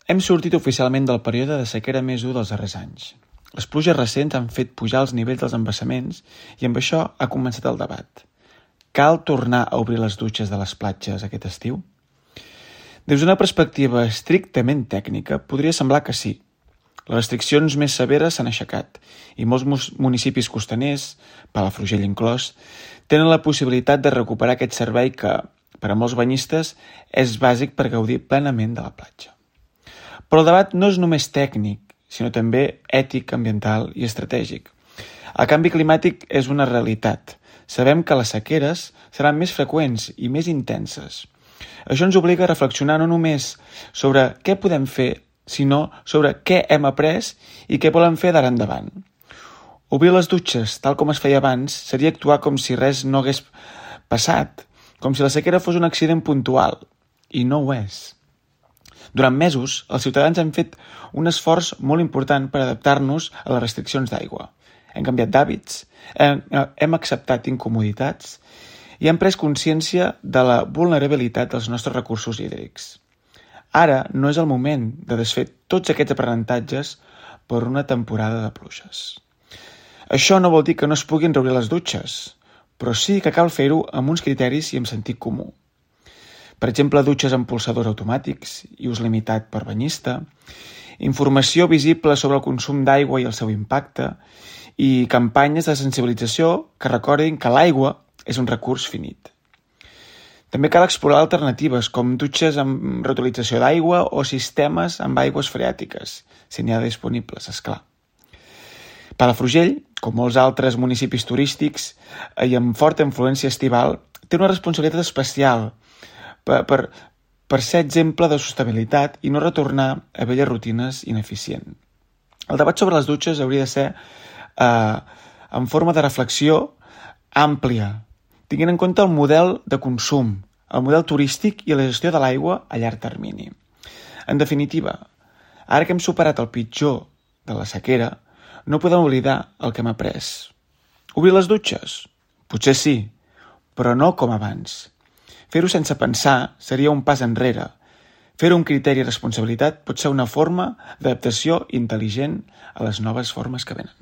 Hem sortit oficialment del període de sequera més dur dels darrers anys. Les pluges recents han fet pujar els nivells dels embassaments i amb això ha començat el debat. Cal tornar a obrir les dutxes de les platges aquest estiu? Des d'una perspectiva estrictament tècnica, podria semblar que sí. Les restriccions més severes s'han aixecat i molts municipis costaners, Palafrugell inclòs, tenen la possibilitat de recuperar aquest servei que, per a molts banyistes, és bàsic per gaudir plenament de la platja. Però el debat no és només tècnic, sinó també ètic, ambiental i estratègic. El canvi climàtic és una realitat. Sabem que les sequeres seran més freqüents i més intenses. Això ens obliga a reflexionar no només sobre què podem fer, sinó sobre què hem après i què volem fer d'ara endavant. Obrir les dutxes, tal com es feia abans, seria actuar com si res no hagués passat, com si la sequera fos un accident puntual, i no ho és. Durant mesos, els ciutadans han fet un esforç molt important per adaptar-nos a les restriccions d'aigua. Hem canviat d'hàbits, hem acceptat incomoditats i hem pres consciència de la vulnerabilitat dels nostres recursos hídrics. Ara no és el moment de desfer tots aquests aprenentatges per una temporada de pluges. Això no vol dir que no es puguin reobrir les dutxes, però sí que cal fer-ho amb uns criteris i amb sentit comú. Per exemple, dutxes amb polsadors automàtics i ús limitat per banyista, informació visible sobre el consum d'aigua i el seu impacte i campanyes de sensibilització que recordin que l'aigua és un recurs finit. També cal explorar alternatives com dutxes amb reutilització d'aigua o sistemes amb aigües freàtiques, si n'hi ha disponibles, esclar. Palafrugell, com molts altres municipis turístics i amb forta influència estival, té una responsabilitat especial per ser exemple de sostenibilitat i no retornar a velles rutines ineficients. El debat sobre les dutxes hauria de ser en forma de reflexió àmplia, tenint en compte el model de consum, el model turístic i la gestió de l'aigua a llarg termini. En definitiva, ara que hem superat el pitjor de la sequera, no podem oblidar el que hem après. Obrir les dutxes? Potser sí, però no com abans. Fer-ho sense pensar seria un pas enrere. Fer-ho amb criteri i responsabilitat pot ser una forma d'adaptació intel·ligent a les noves formes que venen.